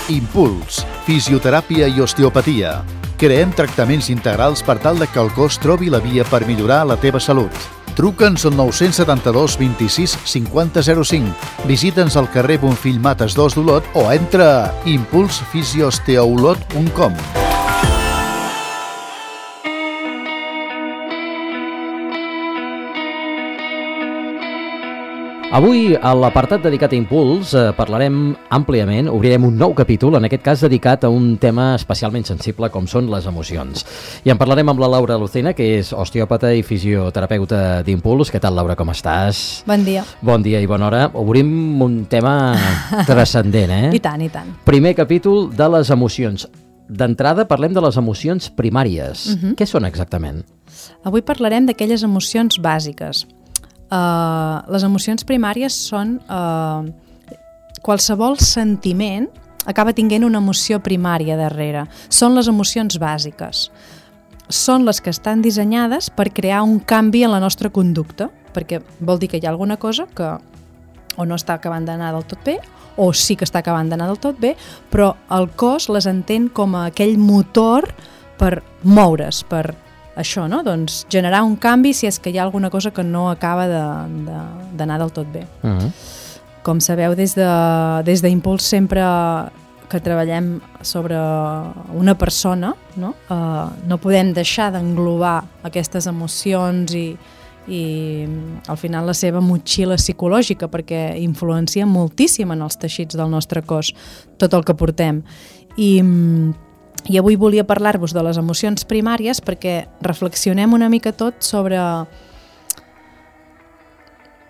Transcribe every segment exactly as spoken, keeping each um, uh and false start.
Impuls, fisioteràpia i osteopatia. Creem tractaments integrals per tal de que el cos trobi la via per millorar la teva salut. Truca'ns al nou set dos, vint-i-sis, cinquanta, zero cinc. Visita'ns al carrer Bonfill Mates dos d'Olot o entra a impuls fisiosteolot punt com. Avui, a l'apartat dedicat a Impuls, eh, parlarem àmpliament, obrirem un nou capítol, en aquest cas dedicat a un tema especialment sensible com són les emocions. I en parlarem amb la Laura Lucena, que és osteòpata i fisioterapeuta d'Impuls. Què tal, Laura, com estàs? Bon dia. Bon dia i bona hora. Obrim un tema transcendent, eh? I tant, i tant. Primer capítol de les emocions. D'entrada parlem de les emocions primàries. Uh-huh. Què són exactament? Avui parlarem d'aquelles emocions bàsiques. Uh, les emocions primàries són uh, qualsevol sentiment acaba tinguent una emoció primària darrere. Són les emocions bàsiques. Són les que estan dissenyades per crear un canvi en la nostra conducta, perquè vol dir que hi ha alguna cosa que o no està acabant d'anar del tot bé, o sí que està acabant d'anar del tot bé, però el cos les entén com a aquell motor per moure's, per això, no? Doncs generar un canvi si és que hi ha alguna cosa que no acaba d'anar de, de, del tot bé. Uh-huh. Com sabeu, des de, des d'Impuls sempre que treballem sobre una persona, no, uh, no podem deixar d'englobar aquestes emocions i, i al final la seva motxilla psicològica, perquè influencia moltíssim en els teixits del nostre cos, tot el que portem. I I avui volia parlar-vos de les emocions primàries perquè reflexionem una mica tot sobre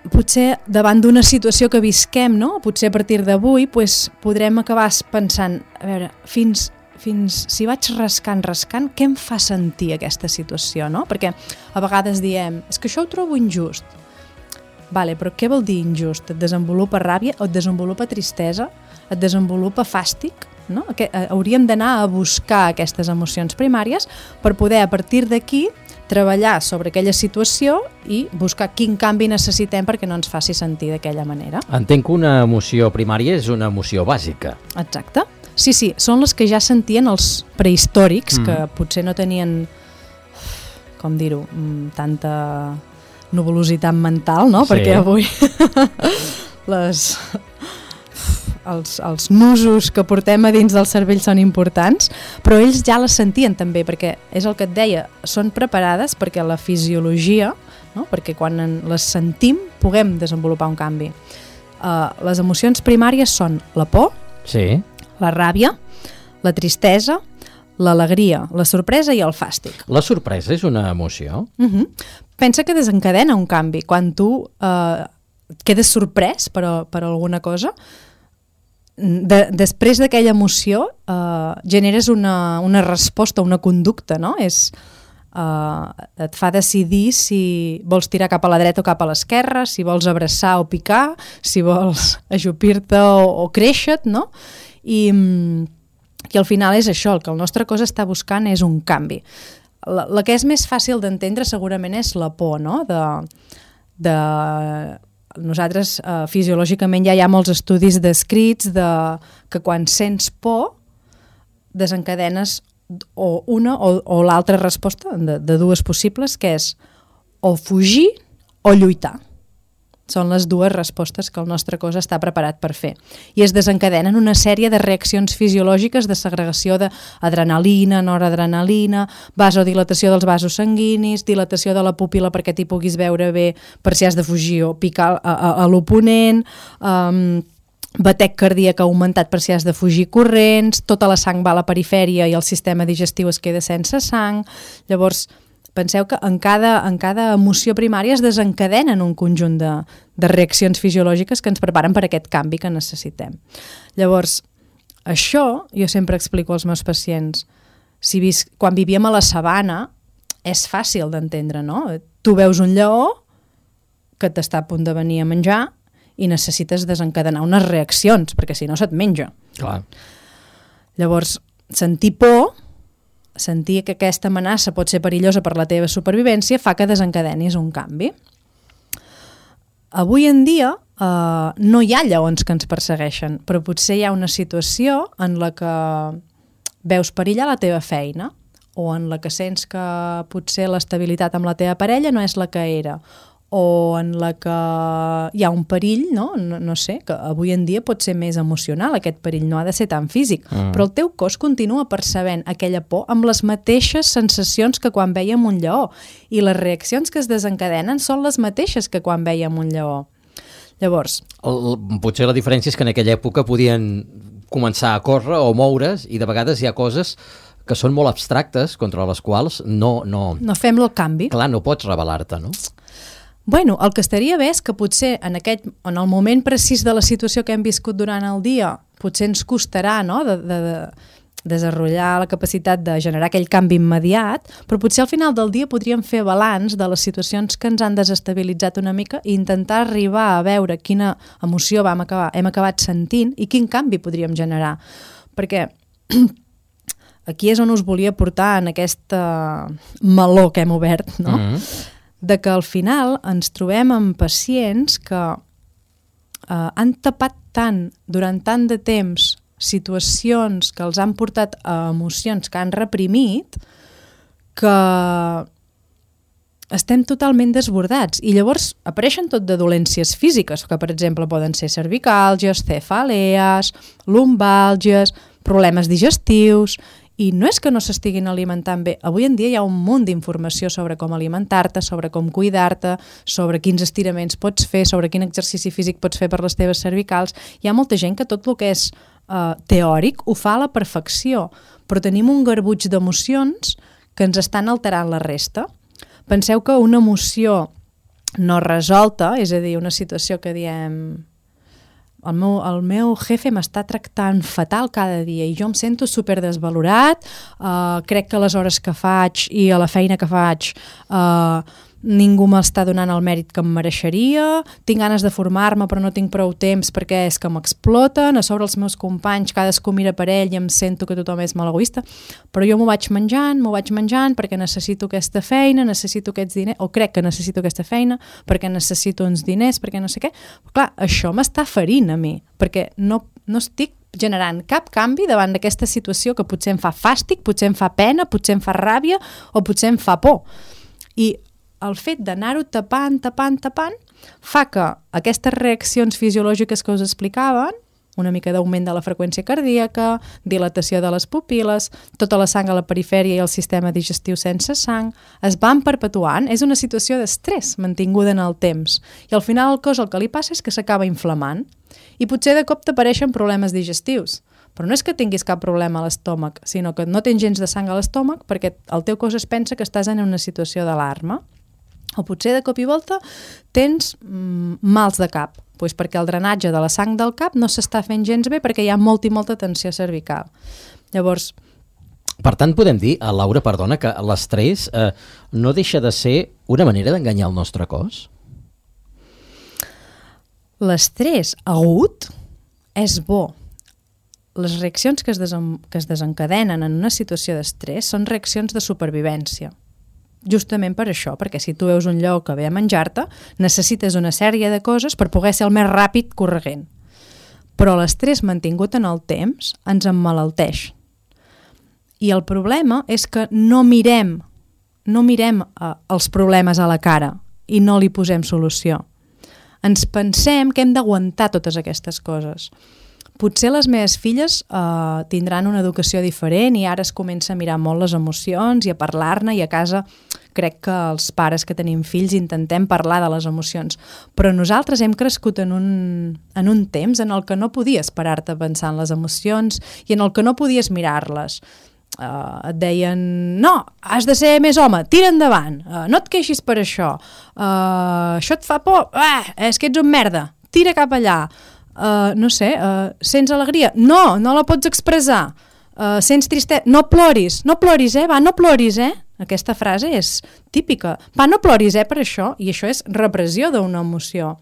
potser davant d'una situació que visquem, no? Potser a partir d'avui pues, podrem acabar pensant, a veure, fins, fins si vaig rascant, rascant, què em fa sentir aquesta situació, no? Perquè a vegades diem, és que això ho trobo injust. Vale, però què vol dir injust? Et desenvolupa ràbia, et desenvolupa tristesa, et desenvolupa fàstic? No? Que, eh, hauríem d'anar a buscar aquestes emocions primàries per poder a partir d'aquí treballar sobre aquella situació i buscar quin canvi necessitem perquè no ens faci sentir d'aquella manera. Entenc que una emoció primària és una emoció bàsica. Exacte. Sí, sí, són les que ja sentien els prehistòrics, mm. que potser no tenien, com dir-ho, tanta nuvolositat mental, no? Sí. Perquè avui les... Els, els nusos que portem a dins del cervell són importants, però ells ja les sentien també, perquè és el que et deia, són preparades perquè la fisiologia, no? Perquè quan les sentim puguem desenvolupar un canvi. Uh, les emocions primàries són la por, sí. La ràbia, la tristesa, l'alegria, la sorpresa i el fàstic. La sorpresa és una emoció? Uh-huh. Pensa que desencadena un canvi. Quan tu uh, quedes sorprès per, per alguna cosa, De, després d'aquella emoció eh, generes una, una resposta, una conducta, no? És, eh, et fa decidir si vols tirar cap a la dreta o cap a l'esquerra, si vols abraçar o picar, si vols ajupir-te o, o créixer-te, no? I, i al final és això, el que el nostre cos està buscant és un canvi. La, la que és més fàcil d'entendre segurament és la por, no? De... de Nosaltres, eh, fisiològicament, ja hi ha molts estudis descrits de que quan sents por desencadenes o una o, o l'altra resposta de, de dues possibles, que és o fugir o lluitar. Són les dues respostes que el nostre cos està preparat per fer. I es desencadenen una sèrie de reaccions fisiològiques de segregació d'adrenalina, noradrenalina, vasodilatació dels vasos sanguinis, dilatació de la pupil·la perquè t'hi puguis veure bé per si has de fugir o picar a, a, a l'oponent, um, batec cardíac augmentat per si has de fugir corrents, tota la sang va a la perifèria i el sistema digestiu es queda sense sang. Llavors, penseu que en cada, en cada emoció primària es desencadenen un conjunt de, de reaccions fisiològiques que ens preparen per aquest canvi que necessitem. Llavors, això jo sempre explico als meus pacients. Si vis, quan vivíem a la sabana és fàcil d'entendre, no? Tu veus un lleó que t'està a punt de venir a menjar i necessites desencadenar unes reaccions, perquè si no se't menja. Clar. Llavors, sentir por, sentir que aquesta amenaça pot ser perillosa per la teva supervivència fa que desencadenis un canvi. avui en dia uh, no hi ha lleons que ens persegueixen, però potser hi ha una situació en la que veus perillar la teva feina o en la que sents que potser l'estabilitat amb la teva parella no és la que era, o en la que hi ha un perill, no? No, no sé, que avui en dia pot ser més emocional aquest perill, no ha de ser tan físic, mm. però el teu cos continua percebent aquella por amb les mateixes sensacions que quan vèiem un lleó, i les reaccions que es desencadenen són les mateixes que quan vèiem un lleó. Llavors... El, potser la diferència és que en aquella època podien començar a córrer o moure's, i de vegades hi ha coses que són molt abstractes contra les quals no... No, no fem el canvi. Clar, no pots rebel·lar-te, no? Bueno, el que estaria bé és que potser en, aquest, en el moment precís de la situació que hem viscut durant el dia, potser ens costarà, no?, de, de, de desenvolupar la capacitat de generar aquell canvi immediat, però potser al final del dia podríem fer balanç de les situacions que ens han desestabilitzat una mica i intentar arribar a veure quina emoció vam acabar, hem acabat sentint i quin canvi podríem generar. Perquè aquí és on us volia portar en aquesta meló que hem obert, no?, mm-hmm. de que al final ens trobem amb pacients que eh, han tapat tant durant tant de temps situacions que els han portat a emocions que han reprimit que estem totalment desbordats, i llavors apareixen tot de dolències físiques, que per exemple poden ser cervicàlgies, cefalees, lumbàlgies, problemes digestius. I no és que no s'estiguin alimentant bé. Avui en dia hi ha un munt d'informació sobre com alimentar-te, sobre com cuidar-te, sobre quins estiraments pots fer, sobre quin exercici físic pots fer per les teves cervicals. Hi ha molta gent que tot el que és uh, teòric ho fa a la perfecció, però tenim un garbuix d'emocions que ens estan alterant la resta. Penseu que una emoció no resolta, és a dir, una situació que diem... El meu, el meu jefe m'està tractant fatal cada dia i jo em sento super desvalorat, uh, crec que les hores que faig i a la feina que faig uh, ningú m'està donant el mèrit que em mereixeria, tinc ganes de formar-me però no tinc prou temps perquè és que m'exploten, a sobre els meus companys cadascú mira per ell i em sento que tothom és molt egoista, però jo m'ho vaig menjant, m'ho vaig menjant perquè necessito aquesta feina, necessito aquests diners, o crec que necessito aquesta feina, perquè necessito uns diners, perquè no sé què. Però clar, això m'està ferint a mi, perquè no, no estic generant cap canvi davant d'aquesta situació que potser em fa fàstic, potser em fa pena, potser em fa ràbia o potser em fa por. I el fet d'anar-ho tapant, tapant, tapant, fa que aquestes reaccions fisiològiques que us explicaven, una mica d'augment de la freqüència cardíaca, dilatació de les pupil·les, tota la sang a la perifèria i el sistema digestiu sense sang, es van perpetuant. És una situació d'estrès mantinguda en el temps. I al final el cos el que li passa és que s'acaba inflamant i potser de cop t'apareixen problemes digestius. Però no és que tinguis cap problema a l'estómac, sinó que no tens gens de sang a l'estómac perquè el teu cos es pensa que estàs en una situació d'alarma. O potser de cop i volta tens mm, mals de cap, doncs perquè el drenatge de la sang del cap no s'està fent gens bé perquè hi ha molta i molta tensió cervical. Llavors... Per tant, podem dir, a Laura, perdona, que l'estrès eh, no deixa de ser una manera d'enganyar el nostre cos? L'estrès agut és bo. Les reaccions que es, desen... que es desencadenen en una situació d'estrès són reaccions de supervivència. Justament per això, perquè si tu veus un lleó que ve a menjar-te, necessites una sèrie de coses per poder ser el més ràpid corregent. Però l'estrès mantingut en el temps ens emmalalteix. I el problema és que no mirem, no mirem eh, els problemes a la cara i no li posem solució. Ens pensem que hem d'aguantar totes aquestes coses. Potser les meves filles eh, tindran una educació diferent i ara es comença a mirar molt les emocions i a parlar-ne, i a casa crec que els pares que tenim fills intentem parlar de les emocions. Però nosaltres hem crescut en un, en un temps en el que no podies parar-te a pensar en les emocions i en el que no podies mirar-les. Uh, et deien, no, has de ser més home, tira endavant, uh, no et queixis per això, uh, això et fa por, ah, és que ets un merda, tira cap allà. Uh, no sé, uh, sents alegria? No, no la pots expressar. Uh, sents tristesa? No ploris, no ploris, eh? Va, no ploris, eh? Aquesta frase és típica. Va, no ploris, eh, per això. I això és repressió d'una emoció.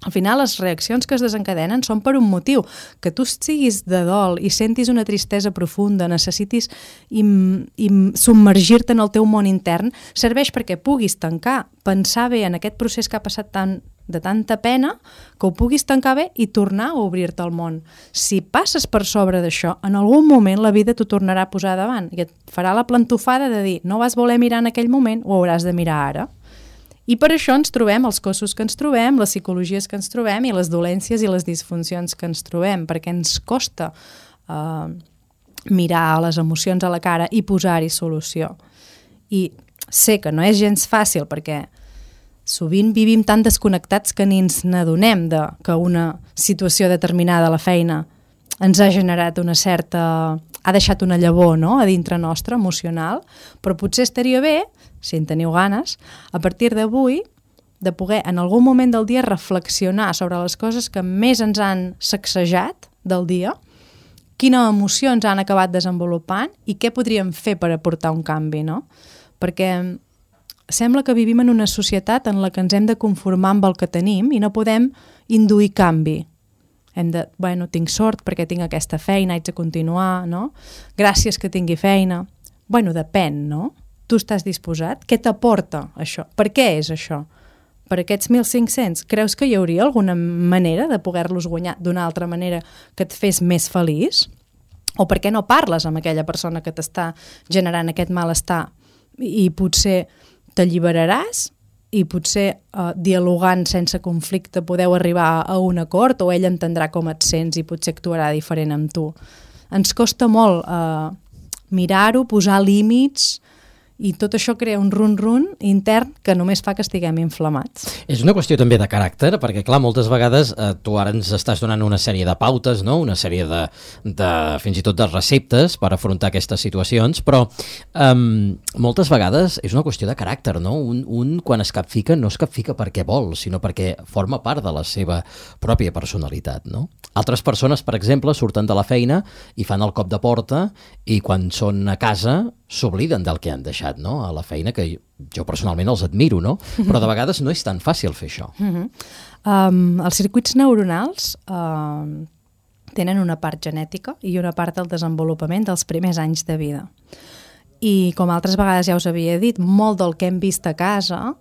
Al final, les reaccions que es desencadenen són per un motiu. Que tu siguis de dol i sentis una tristesa profunda, necessitis im, im, submergir-te en el teu món intern, serveix perquè puguis tancar, pensar bé en aquest procés que ha passat tan de tanta pena, que ho puguis tancar bé i tornar a obrir-te al món. Si passes per sobre d'això, en algun moment la vida t'ho tornarà a posar davant i et farà la plantofada de dir no vas voler mirar en aquell moment, ho hauràs de mirar ara. I per això ens trobem els cossos que ens trobem, les psicologies que ens trobem i les dolències i les disfuncions que ens trobem, perquè ens costa eh, mirar les emocions a la cara i posar-hi solució. I sé que no és gens fàcil perquè sovint vivim tan desconnectats que ni ens n'adonem de que una situació determinada a la feina ens ha generat una certa... ha deixat una llavor, no?, a dintre nostre, emocional, però potser estaria bé, si en teniu ganes, a partir d'avui, de poder en algun moment del dia reflexionar sobre les coses que més ens han sacsejat del dia, quina emoció ens han acabat desenvolupant i què podríem fer per aportar un canvi, no? Perquè sembla que vivim en una societat en la que ens hem de conformar amb el que tenim i no podem induir canvi. Hem de, bueno, tinc sort perquè tinc aquesta feina, haig de continuar, no? Gràcies que tingui feina. Bueno, depèn, no? Tu estàs disposat? Què t'aporta això? Per què és això? Per aquests mil cinc-cents? Creus que hi hauria alguna manera de poder-los guanyar d'una altra manera que et fes més feliç? O per què no parles amb aquella persona que t'està generant aquest malestar i potser t'alliberaràs i potser eh, dialogant sense conflicte podeu arribar a un acord o ell entendrà com et sents i potser actuarà diferent amb tu. Ens costa molt eh, mirar-ho, posar límits i tot això crea un run-run intern que només fa que estiguem inflamats. És una qüestió també de caràcter, perquè clar, moltes vegades eh, tu ara ens estàs donant una sèrie de pautes, no? Una sèrie de, de fins i tot de receptes per afrontar aquestes situacions, però eh, moltes vegades és una qüestió de caràcter, no? Un, un quan es capfica no es capfica perquè vol, sinó perquè forma part de la seva pròpia personalitat, no? Altres persones, per exemple, surten de la feina i fan el cop de porta i quan són a casa s'obliden del que han deixat, no?, a la feina, que jo personalment els admiro, no? Però de vegades no és tan fàcil fer això. Uh-huh. um, els circuits neuronals um, tenen una part genètica i una part del desenvolupament dels primers anys de vida. I com altres vegades ja us havia dit, molt del que hem vist a casa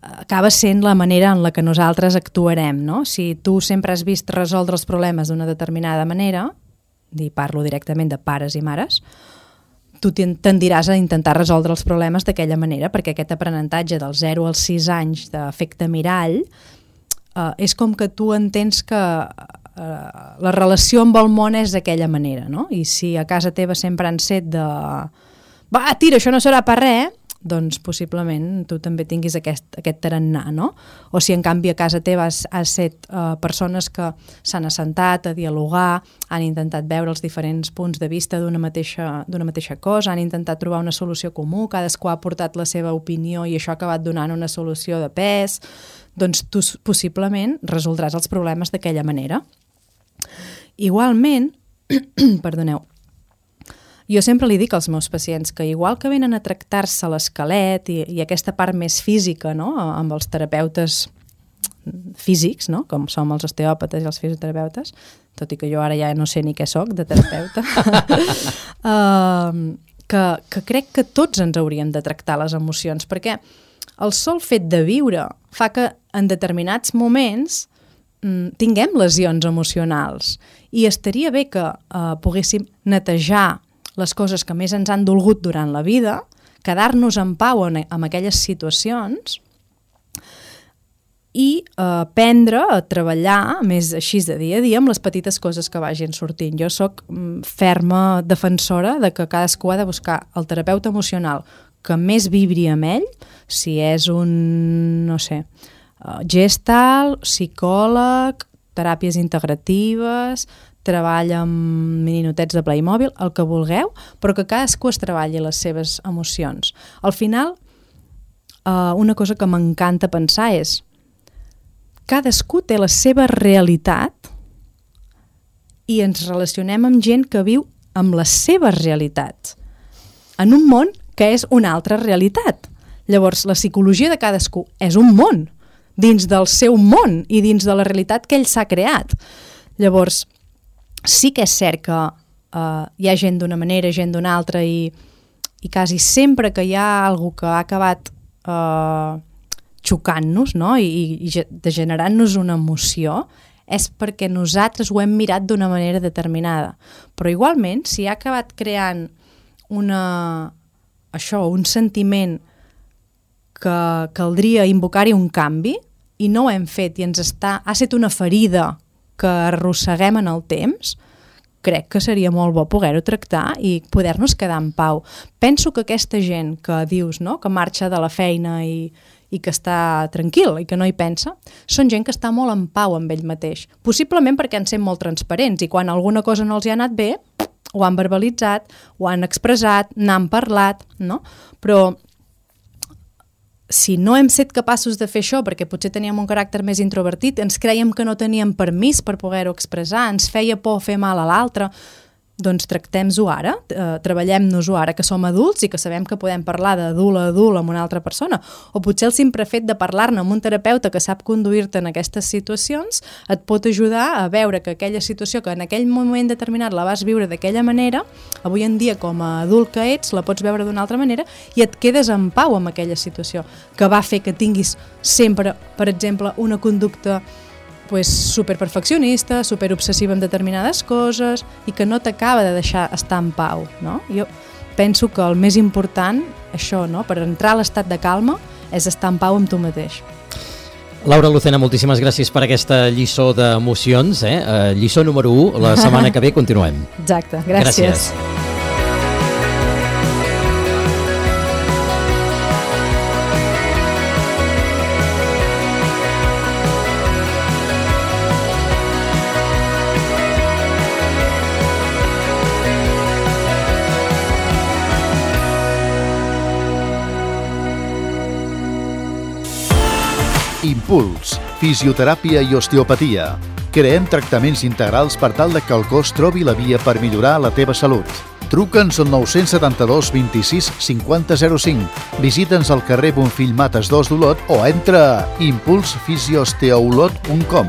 acaba sent la manera en la que nosaltres actuarem, no? Si tu sempre has vist resoldre els problemes d'una determinada manera, i parlo directament de pares i mares, tu tendiràs a intentar resoldre els problemes d'aquella manera, perquè aquest aprenentatge dels zero als sis anys d'efecte mirall eh, és com que tu entens que eh, la relació amb el món és d'aquella manera, no? I si a casa teva sempre han set de va, tira, això no serà per res, doncs possiblement tu també tinguis aquest, aquest tarannà, no? O si en canvi a casa teva has, has set uh, persones que s'han assentat a dialogar, han intentat veure els diferents punts de vista d'una mateixa, d'una mateixa cosa, han intentat trobar una solució comú, cadascú ha portat la seva opinió i això ha acabat donant una solució de pes, doncs tu possiblement resoldràs els problemes d'aquella manera. Igualment, perdoneu, jo sempre li dic als meus pacients que igual que venen a tractar-se l'esquelet i, i aquesta part més física, no?, amb els terapeutes físics, no?, com som els osteòpates i els fisioterapeutes, tot i que jo ara ja no sé ni què soc de terapeuta, uh, que, que crec que tots ens hauríem de tractar les emocions, perquè el sol fet de viure fa que en determinats moments mm, tinguem lesions emocionals i estaria bé que uh, poguéssim netejar les coses que més ens han dolgut durant la vida, quedar-nos en pau en, en aquelles situacions i eh, aprendre a treballar més així de dia a dia amb les petites coses que vagin sortint. Jo sóc mm, ferma defensora de que cadascú ha de buscar el terapeuta emocional que més vibri amb ell, si és un, no sé, uh, gestalt, psicòleg, teràpies integratives, treballa amb mininotets de Playmobil, el que vulgueu, però que cadascú es treballi les seves emocions. Al final, eh, una cosa que m'encanta pensar és cadascú té la seva realitat i ens relacionem amb gent que viu amb les seves realitats en un món que és una altra realitat. Llavors, la psicologia de cadascú és un món dins del seu món i dins de la realitat que ell s'ha creat. Llavors, sí que és cert que uh, hi ha gent d'una manera, gent d'una altra i, i quasi sempre que hi ha algú que ha acabat uh, xocant-nos, no? I, i de generant-nos una emoció, és perquè nosaltres ho hem mirat d'una manera determinada. Però igualment, si ha acabat creant una, això, un sentiment que caldria invocar-hi un canvi i no ho hem fet i ens està, ha estat una ferida que arrosseguem en el temps, crec que seria molt bo poder-ho tractar i poder-nos quedar en pau. Penso que aquesta gent que dius, no?, que marxa de la feina i, i que està tranquil i que no hi pensa, són gent que està molt en pau amb ell mateix. Possiblement perquè han sent molt transparents i quan alguna cosa no els hi ha anat bé, ho han verbalitzat, ho han expressat, n'han parlat, no? Però si no hem set capaços de fer això perquè potser teníem un caràcter més introvertit, ens creiem que no teníem permís per poder-ho expressar, ens feia por fer mal a l'altre, doncs tractem-ho ara, eh, treballem-nos-ho ara que som adults i que sabem que podem parlar d'adult a adult amb una altra persona, o potser el simple fet de parlar-ne amb un terapeuta que sap conduir-te en aquestes situacions et pot ajudar a veure que aquella situació que en aquell moment determinat la vas viure d'aquella manera, avui en dia com a adult que ets la pots veure d'una altra manera i et quedes en pau amb aquella situació que va fer que tinguis sempre, per exemple, una conducta pues, superperfeccionista, superobsessiva amb determinades coses i que no t'acaba de deixar estar en pau, no? Jo penso que el més important, això, no?, per entrar a l'estat de calma, és estar en pau amb tu mateix. Laura Lucena, moltíssimes gràcies per aquesta lliçó d'emocions, eh? Uh, lliçó número u, la setmana que ve continuem. Exacte, gràcies. Gràcies. Impuls, fisioteràpia i osteopatia. Creem tractaments integrals per tal de que el cos trobi la via per millorar la teva salut. Truca'ns al nou set dos, vint-i-sis, cinquanta, zero cinc. Visita'ns al carrer Bonfill Mates dos d'Olot o entra a impuls fisio osteolot punt com.